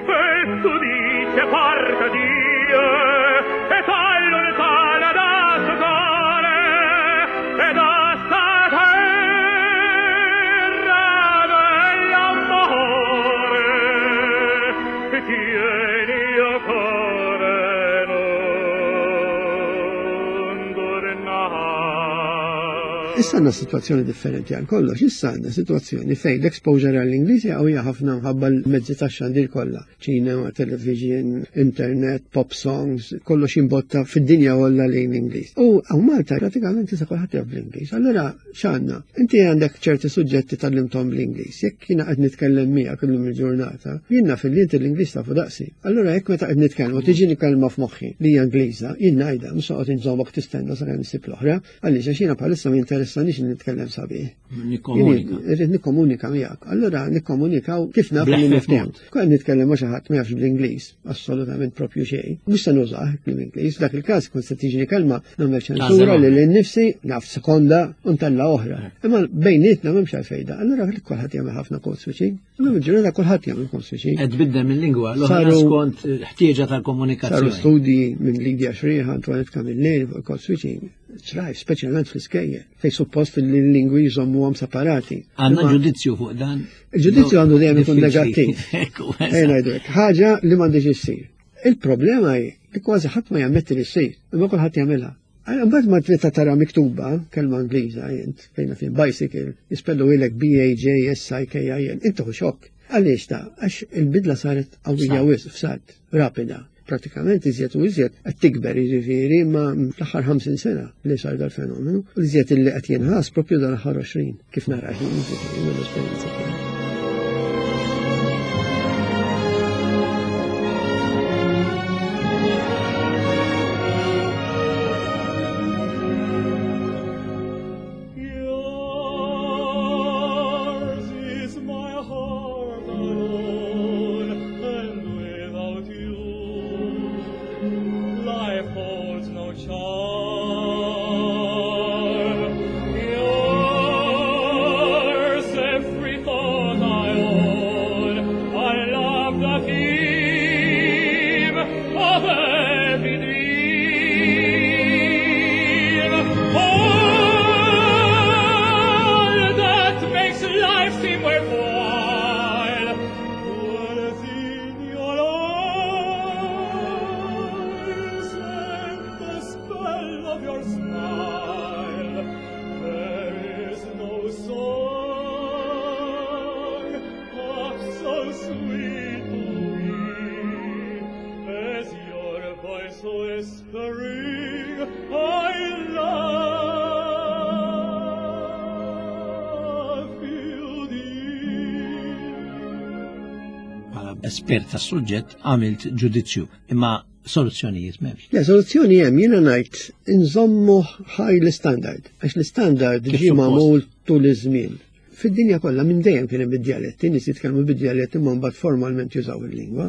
E tu dice porca Dio, e tal lontana da sto core, e da sta terra dell'amore, tieni o core non tornar. Issa għandna situazzjoni differenti għal kollox, issa għandna situazzjoni fejn l-exposure għall-Ingliż hija ħafna mħabba l-mezzi tax-xandir kollha, ċinema, television, internet, pop songs, kollox jimbotta fid-dinja kollha lejn l-Ingliż. U hawn Malta pratikament issa kulħadd jaf bl-Ingliż. Allura x'għandna? Inti għandek ċerti suġġetti tgħallimthom bl-Ingliż. Jekk jiena qed nitkellem miegħek illum il-ġurnata, jien naf li inti l-Ingliż tafu daqsi. Allura jekk meta qed nitkellmu tiġini kelma f'moħħi li hija Ingliża, jien ngħidha, mhux noqgħod inżommok tistenna sakemm issib l-oħra, għaliex għax jiena bħalissa ma jinteressanix li nitkellem sabiħ. Nikkomunika. Jien irrid nikkomunika miegħek. Allura nikkomunikaw kif naf li Bl-eħfef niftehmu. mod. Kont nitkellem ma' xi ħadd ma jafx bl-Ingliż, assolutament propju xejn. Mhux se nużah bl-Ingliż, f'dak il-każ kont se tiġini kelma nagħmel ċensura Tażel lil innifsi, naf sekonda u ntella' oħra. Imma bejnietna m'hemmx għalfejn da. Allura kulħadd jagħmel ħafna code switching. Illum il-ġurnata kulħadd jagħmel code switching. Qed tbiddel minn-lingwa l-oħra skont ħtieġa tal-komunikazzjoni. Saru studji minn Lydia Xrieħa, Antoinette Camilleri fuq code switching. Trajf, speċjalment fl-iskejjel, fej suppost li l-lingwi jżommuhom separati. Għandna Imma ġudizzju fuq dan. Il-ġudizzju għandu dejjem ikun Diffiċli. negattiv. Ekku, Ejja eżatt. ngħidu hekk, ħaġa li m'għandix issir. Il-problema hi li kważi ħadd ma jammetti li ssir, imma kulħadd jagħmilha. Għal Mbagħad ma trid tara miktuba kelma Ingliża int fejn fin bicycle jispellu ilek B A J S I K I L, inti hu xokk. Għaliex ta' għax il-bidla saret qawwija Salt. wisq f'salt, rapida. Pratikament iżjed u iżjed qed tikber, jiġifieri ma fl-aħħar 50 sena li sar dal-fenomenu, u iżjed illi qed jinħass propju dal-aħħar 20, kif nara jien, jiġifieri mill-esperjenza tiegħi. Yours is my heart alone, and without you, life holds no charm. Yours every thought I own, I love the theme of every dream. All that makes life seem worthwhile dwells in your eyes and the spell of your smile. There is no song half so sweet to me as your voice whispering, I love you, dear. Bħala espert tas-suġġett għamilt ġudizzju, imma soluzzjonijiet m'hemmx. Le, soluzzjoni hemm, jiena ngħid inżommu ħaj l-istandard, għax l-istandard Kif ġie suppost. magħmul tul iż-żmien. Fid-dinja kollha minn dejjem kien hemm id-djaletti, nies jitkellmu bid-djaletti imma mbagħad formalment jużaw il-lingwa.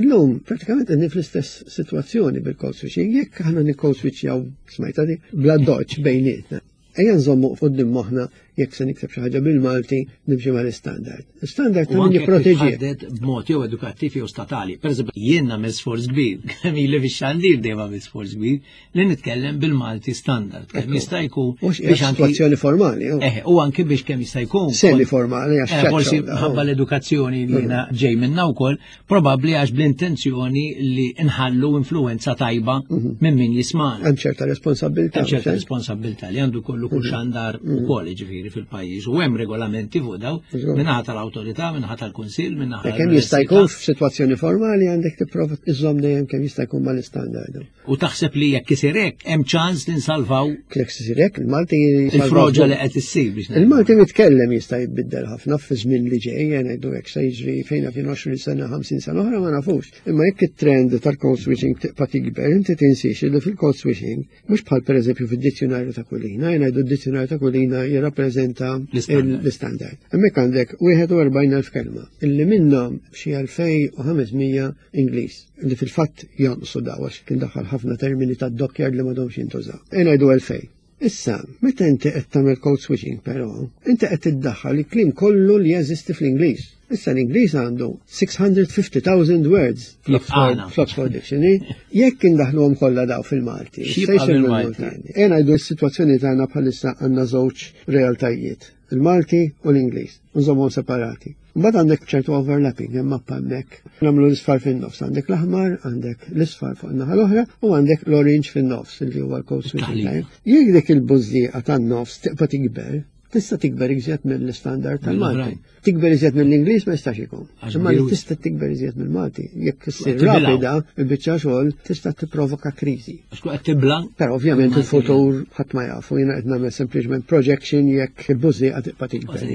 Illum pratikament qegħdin fl-istess sitwazzjoni bil-code switching, jekk aħna niccode switchjaw smajta di bla doċ bejnietna. Ejja nżommu quddiem moħħna jekk se nikteb xi ħaġa bil-Malti nimxi mal-istandard. L-istandard U ta' min anke jekk jipproteġih. titħaddet b'mod jew edukattiv jew statali. Per eżempju, jien nagħmel sforz kbir, kemm ili fix-xandir dejjem għamil sforz kbir li nitkellem bil-Malti standard. Kemm Ekku. jista' jkun Mhux biex anki situazzjoni formali, oh. U anki biex kemm jista' jkun. Semi formali, għax Forsi ċaċċaw da, ħabba oh. l-edukazzjoni li jiena ġej minna wkoll, probabbli għax bl-intenzjoni li nħallu influenza tajba minn min jismana. Hemm ċerta responsabilità, Hemm ċerta mhux hekk? responsabilità li għandu kollu kull xandar ukoll, jiġifieri. jiġifieri fil-pajjiż u hemm regolamenti fuq daw minnaħa tal-awtorità, minnaħa tal-kunsill, minnaħa. Kemm jista' jkun f'sitwazzjoni formali għandek tipprova iżżomm dejjem kemm jista' jkun mal-istandard. U taħseb li jekk isir hekk hemm ċans li nsalvaw. Jekk isir hekk il-Malti il-froġa li qed issir biex. Il-Malti mitkellem jista' jitbiddel ħafna fi żmien li ġej, ngħidu hekk se jiġri fejn fin 20 sena, 50 sena oħra ma nafux. Imma jekk it-trend tal-code switching tibqa' tikber, inti tinsiex li fil-code switching mhux bħal pereżempju fid-dizzjonarju ta' Kulina, jien ngħidu d-dizzjonarju ta' Kulina jirrappreżenta l-istandard. Hemmhekk għandek 41,000 kelma illi minnhom xi 2500 Ingliż li fil-fatt jonqsu daw għax kien daħal ħafna termini ta' dockyard li m'għadhomx jintużaw. E ngħidu 2000. Issa, meta inti qed tagħmel code switching però, inti qed tiddaħħal il-kliem kollu li jeżisti fl-Ingliż. Issa l-Ingliż għandu 650,000 words fl-Oxford Dictionary. Jekk indaħluhom kollha daw fil-Malti, se jsir mill-Malti. E ngħidu s-sitwazzjoni tagħna bħalissa għandna żewġ realtajiet, il-Malti u l-Ingliż, nżommhom separati. Mbagħad għandek ċertu overlapping hemm mappa hemmhekk. Nagħmlu l-isfar fin-nofs, għandek l-aħmar, għandek l-isfar fuq in-naħa l-oħra u għandek l-orange fin-nofs li huwa l-code switching time. Jekk dik il-bużżieqa tan-nofs tibqa' tikber, tista' tikber iżjed mill-istandard tal-Malti. Tikber iżjed mill-Ingliż ma jistax ikun. Imma li tista' tikber iżjed mill-Malti. Jekk issir rapida, il-biċċa xogħol tista' tipprovoka kriżi. Għax qed tibla. Però ovvjament il-futur ħadd ma jafu, jiena qed nagħmel sempliċement projection jekk il-bużżieqa tibqa' tikber.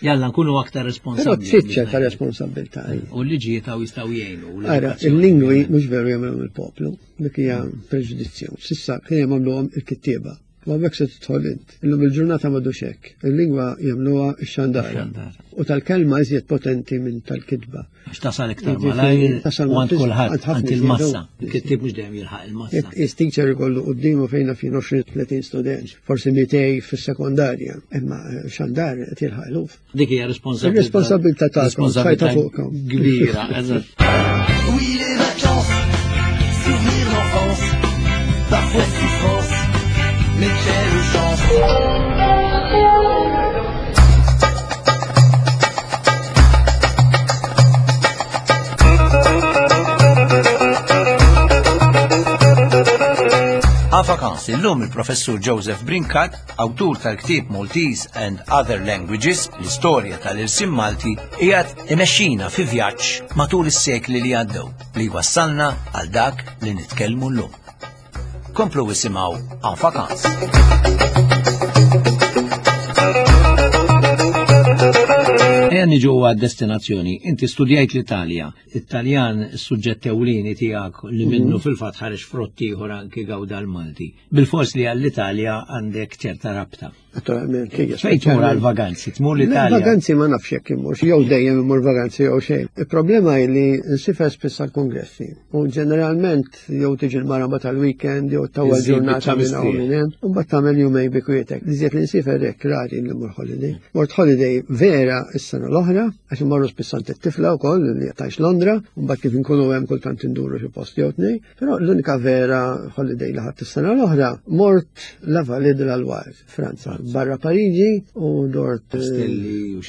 Jalla nkunu aktar responsabbli. Però trid ċerta responsabilità. U l-liġijiet hawn jistgħu jgħinu. Ara, il-lingwi mhux veru jagħmluhom il-poplu, dik hija preġudizzju. Sissa kien jagħmluhom il-kittieba. U hemmhekk se tidħol int. Illum il-ġurnata m'għadux hekk. Il-lingwa jagħmluha x-xandara. U tal-kelma iżjed potenti minn tal-kitba. Għax tasal iktar malajr u għand kulħadd, għand il-massa. Il-kittieb mhux dejjem jilħaq il-massa. Is teacher ikollu quddiemu fejn fin 20-30 student, forsi 200 fis-sekondarja, imma eh, xandar qed jilħaq eluf. Dik hija responsabilità. Ir-responsabilità tagħkom, responsabilità kbira, eżatt. Oui, les vacances, souvenirs d'enfance, parfois souffrance, mais quelle chance. En vacances illum il-professur Joseph Brincat, awtur tal-ktieb Maltese and Other Languages, l-istorja tal-irsim Malti, qiegħed imexxina fi vjaġġ matul is-sekli li għaddew li wassalna għal dak li nitkellmu llum. Komplu isimgħu En vacances. Ejja niġu għad-destinazzjoni. Inti studjajt l-Italja. It-Taljan suġġett ewlieni tiegħek li mhm. minnu fil-fatt ħareġ frott ieħor anki gawda l-Malti. Bil-fors li għall-Italja għandek ċerta rabta. Naturalment, hija. Fejn tmur għal-vaganzi? Tmur l-Italja? Vaganzi ma nafx jekk immur, jew dejjem immur vaganzi jew xejn. Il-problema hi li nsifer spiss għall-kongressi. U ġeneralment jew tiġi l-maraba tal-weekend jew tawwa ġurnata minn hawn minn hemm, u mbagħad tagħmel jumejn bi kwietek. Iżjed li nsifer hekk rari li mmur holiday. Mort holiday vera s-sena l-oħra, għax immorru spiss għand it-tifla wkoll li tgħix Londra, u mbagħad kif inkunu hemm kultant induru xi post jew tnejn. Però l-unika vera holiday li ħadd is-sena l-oħra mort La Vallée de la Loire, Franza, barra Pariġi u dort eh,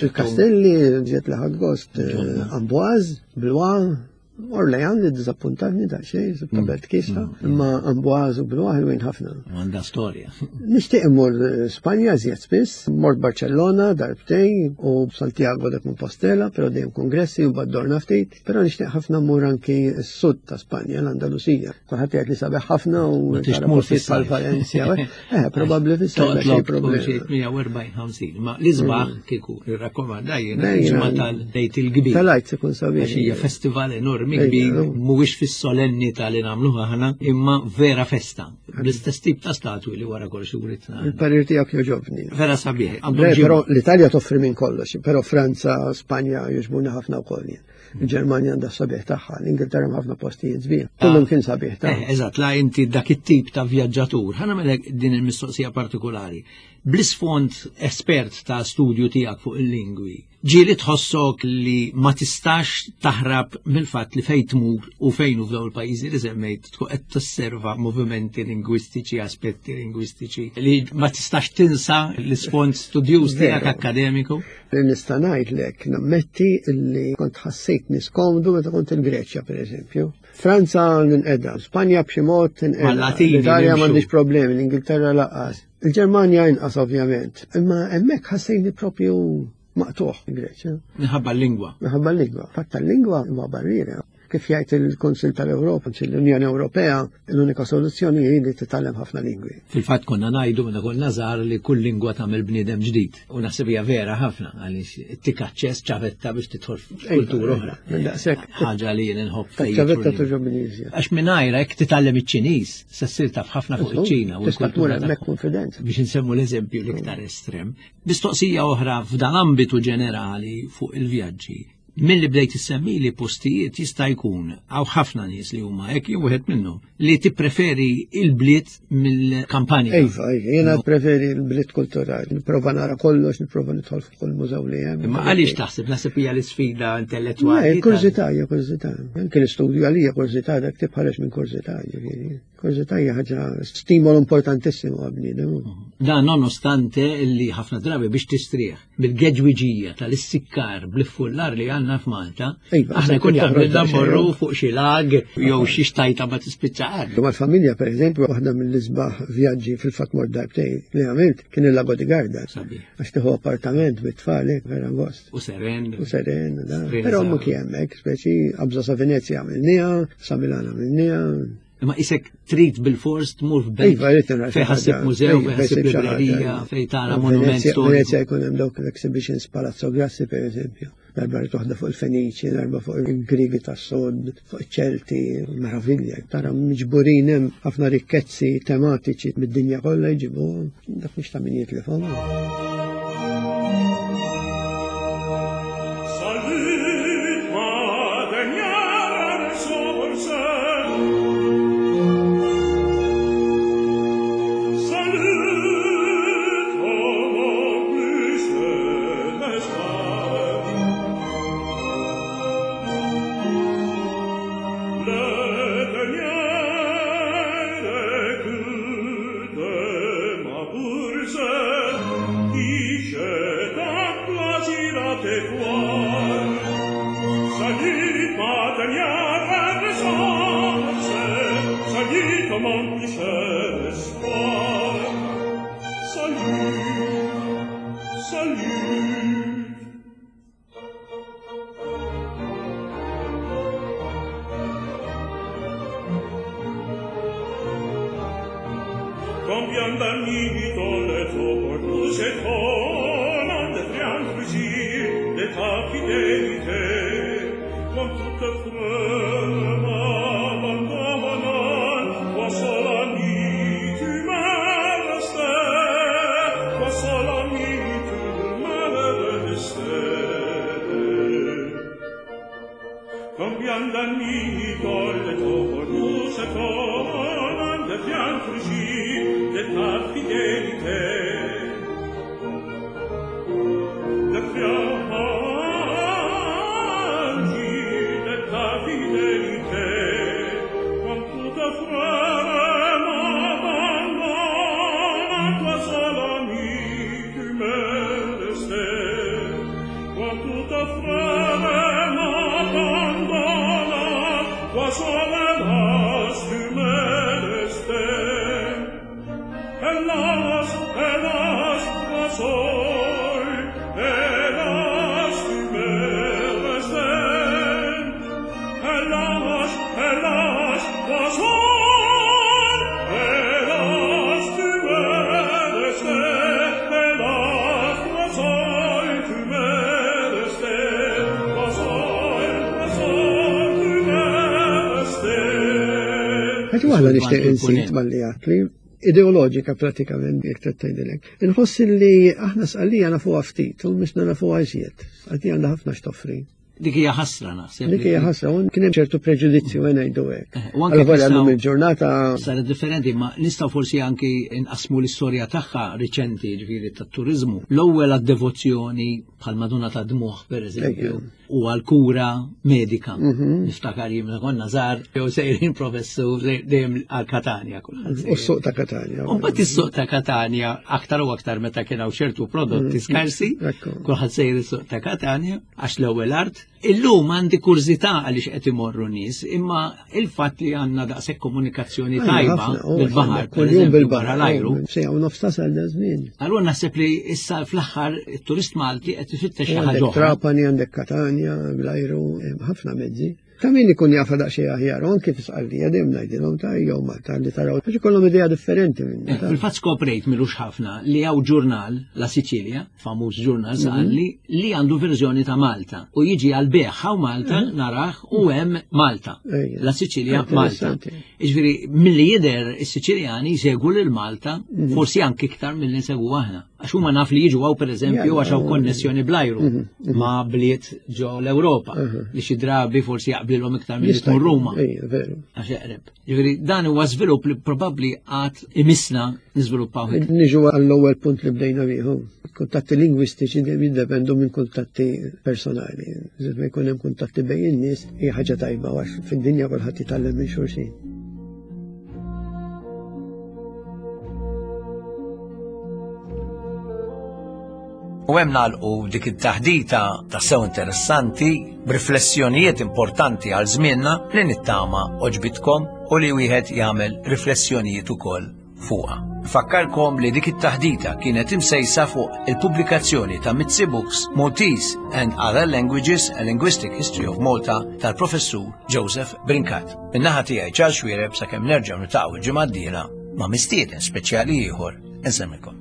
il-Kastelli, ġiet li ħadd gost eh, Amboise, Blois, Orlean li dizappuntatni da xejn, sibta mm. belt kisha, mm. imma Amboise u Blois ħelwin ħafna. Għandha storja. Nixtieq immur eh, Spanja żjed spiss, mort Barcellona darbtejn u Santiago de Compostela, però dejjem kongressi u baddorna ftit. Però nixtieq ħafna mmur anki s-sud ta' Spanja, l-Andalusija. Kulħadd jgħid li sabiħ ħafna u tara tmur bħal Valencia. Eh, probabbli fis-sajf xi problemi. 140-50, ma l-isbaħ mm. kieku irrakkomanda jiena ġimgħa tal-Lejt il-Kbir. Tal-Għid ikun sabiħ. Għax hija festival enormi kbir, mhuwiex fis-solennità li nagħmluha aħna, imma vera festa. Bl-istess tip ta' statwi li wara kollox uritna. Il-parir tiegħek jogħġobni. Vera sabiħ. Però l-Italja toffri minn kollox, però Franza, Spanja jogħġbuni ħafna wkoll jien. Il-Ġermanja għandha sabiħ tagħha, l-Ingilterra ħafna postijiet sbieħ. Kullum kien sabiħ ta' eh, Eżatt, la inti dak it-tip ta' vjaġġatur. Ħa nagħmel din il-mistoqsija partikolari. Bl-isfond espert ta' studju tiegħek fuq il-lingwi, ġieli tħossok li ma tistax taħrab mill-fatt li fejn tmur u fejn u f'dawn il-pajjiżi li semmejt tkun qed tosserva movimenti lingwistiċi, aspetti lingwistiċi li ma tistax tinsa l-isfond studjuż tiegħek akkademiku. Li nista' ngħidlek nammetti li kont ħassejtni skomdu meta kont il-Greċja pereżempju. Franza ninqeda, Spanja b'xi mod tinqeda, l-Italja m'għandix problemi, l-Ingilterra lanqas. Il-Ġermanja inqas ovvjament, imma hemmhekk ħassejni propju maqtuħ il-Greċja. Minħabba l-lingwa. Minħabba l-lingwa. Fatt tal-lingwa huwa barriera. Kif jgħid il-Kunsill tal-Ewropa, l-Unjoni Ewropea, l-unika soluzzjoni hi li titgħallem ħafna lingwi. Fil-fatt konna ngħidu meta konna żgħar li kull lingwa tagħmel bniedem ġdid. U naħseb hija vera ħafna għaliex tik aċċess ċavetta biex tidħol f'kultura oħra. Daqshekk. Ħaġa li jien inħobb fejn. Ċavetta toġobni iżjed. Għax mingħajr hekk titgħallem iċ-Ċiniż, se ssir taf ħafna fuq iċ-Ċina u l-kultura hemmhekk konfidenza. Biex insemmu l-eżempju l-iktar estrem. Mistoqsija oħra f'dan ambitu ġenerali fuq il-vjaġġi. Milli bdejt issemmi li postijiet jista' jkun hawn ħafna nies li huma hekk jew wieħed minnhom li tippreferi il-bliet mill-kampanja. Iva, iva, jiena preferi l-bliet kulturali, nipprova nara kollox, nipprova nidħol f'kull mużew li hemm. Imma għaliex taħseb naħseb hija l-isfida intellettwali? Kurżità, hija kurżità. Anke l-istudju għalija kurżità dak tibħareġ minn kurżità, ġifieri. Kurżità hija ħaġa stimolu importantissimu għal-bniedem. Dan nonostante li ħafna drabi biex tistrieħ bil-geġwiġija tal-issikkar bl-iffullar li għandna f'Malta, Iva, aħna jkun toħroġ jaqbilna daqsxejn. mmorru fuq xi lag jew xi xtajta ma tispiċċa qatt. Mal-familja, per eżempju, waħda mill-isbaħ vjaġġi fil-fatt mort darbtejn li għamilt kien il-Lago di Garda. Sabiħ. Għax tieħu appartament bit-tfal, hekk, vera gost. U seren. U seren, da. Seren Però sa- mhux hemmhekk, speċi qabża sa Venezia għamilniha, sa Milano għamilniha. Imma isek trid bil-fors tmur f'belt Iva, rrid nara xi fejn ħassib ħaġa. mużew, Iva, fejn ħassib fejn xi ħaġa, librerija, iva. fejn tara monument Venezia storiku. Venezia jkun hemm dawk l-exhibitions Palazzo Grassi per eżempju. Darba rrid waħda fuq il-Feniċi, darba fuq il-Grigi tas-Sud, fuq iċ-Ċelti, meravilja. Tara miġburin hemm ħafna rikkezzi tematiċi mid-dinja kollha jġibuhom, dak mhux ta' min jitlifhom. Salut, ma dernière ressource. Salut, oh mon plus cher espoir. Le dernier écu de ma bourse, qui j'ai tant plaisir à te voir. Salut, ma dernière ressource, salut, mon plus cher espoir. Salut, salut. Combien d'amis dans les eaux nous étonnent de triangles de ta fidélité. Quand toute frère m'abandonne, toi seul ami, tu m'es resté. Toi seul ami, tu m'es resté. Combien d'amis dans les eaux nous étonnent de triangles de ta fidélité. De fianchi de ta fidélité, quand toute frère m'abandonne, toi seul ami, tu m'es resté. Quand toute frère m'abandonne, toi seul hélas, tu m'es resté. Hélas, hélas, toi seul, hélas, tu m'es resté. Hélas, hélas, toi seul, hélas, tu m'es resté. Hélas, toi seul, tu m'es resté. Toi seul, toi seul, tu m'es resté. Ħaġa waħda nixtieq Sul-Punent. insit malli għatli, ideoloġika pratikament jekk trid tgħidilek. Inħoss li aħna Sqallija nafuha ftit u mhux nafuha iżjed. Sqallija għandha ħafna x'toffri. Dik hija ħasra naħseb. Dik hija ħasra, u kien hemm ċertu preġudizzju għen ngħidu hekk. U anke Alla volja nistgħu- llum il-ġurnata Saret differenti, ma nistgħu forsi anki nqasmu l-istorja tagħha riċenti, ġifieri tat-turiżmu. L-ewwel għad-devozzjoni bħal Madonna ta' Dmuħ pereżempju, Ejja. u għal-kura medika. Niftakar jien meta konna żgħar jew sejrin professur dejjem għal Katanja kulħadd. u s-suq ta' Katanja. U mbagħad is-suq ta' Katanja aktar u aktar meta kien hawn ċertu prodotti skarsi, Ekku. kulħadd sejr is-suq ta' Katanja għax l-ewwel art Illum għandi kurżità għaliex qed imorru nies, imma il-fatt li għandna daqshekk komunikazzjoni tajba bil-baħar, kuljum bil-baħar l-ajru. Sejja u nofs tasal da żmien. Allura naħseb li issa fl-aħħar it-turist Malti qed ifittex xi ħaġa. Trapani għandek Katanja bl-ajru, ħafna mezzi. Ta' min ikun jafa daqsxejn aħjar, u anki fis-Sqallija dejjem ngħidilhom ta' jew Malta li taraw għax ikollhom idea differenti minn. Eh, fil-fatt skoprejt milux ħafna li hawn ġurnal La Sicilia, famuż ġurnal mhm. Sqalli, li għandu verżjoni ta' Malta u jiġi għal beħ hawn Malta mhm. narah u hemm Malta. La Sicilia Malta. Jiġifieri milli jidher is-Siċiljani jsegwu lil Malta mhm. forsi anki iktar milli nsegwu aħna. Għax huma naf li jiġu għaw pereżempju għax hawn konnessjoni bl-ajru mhm, mhm. ma' bliet ġo l-Ewropa mhm. li xi drabi forsi jaqblilhom iktar minn tmur Ruma. Għax eqreb. Ġifieri dan huwa żvilupp li probabbli għad imissna niżviluppaw. Niġu għall-ewwel punt li bdejna bieħu. Kuntatti lingwistiċi dejjem jiddependu minn kuntatti personali. Iżda ma jkun hemm kuntatti bejn in-nies hija ħaġa tajba għax fid-dinja kulħadd jitgħallem minn xulxin. U hemm nagħlqu dik it-taħdita tassew interessanti b'riflessjonijiet importanti għal żmienna li nittama oġbitkom u li wieħed jagħmel riflessjonijiet ukoll fuqha. Nfakkarkom li dik it-taħdita kienet imsejsa fuq il-pubblikazzjoni ta' Mizzi Books Maltese and Other Languages a Linguistic History of Malta tal-Professur Joseph Brincat. Min-naħa tiegħi Charles Xuereb sakemm nerġgħu niltaqgħu l-ġimgħa d-dieħla ma' mistieden speċjali ieħor insemmilkom.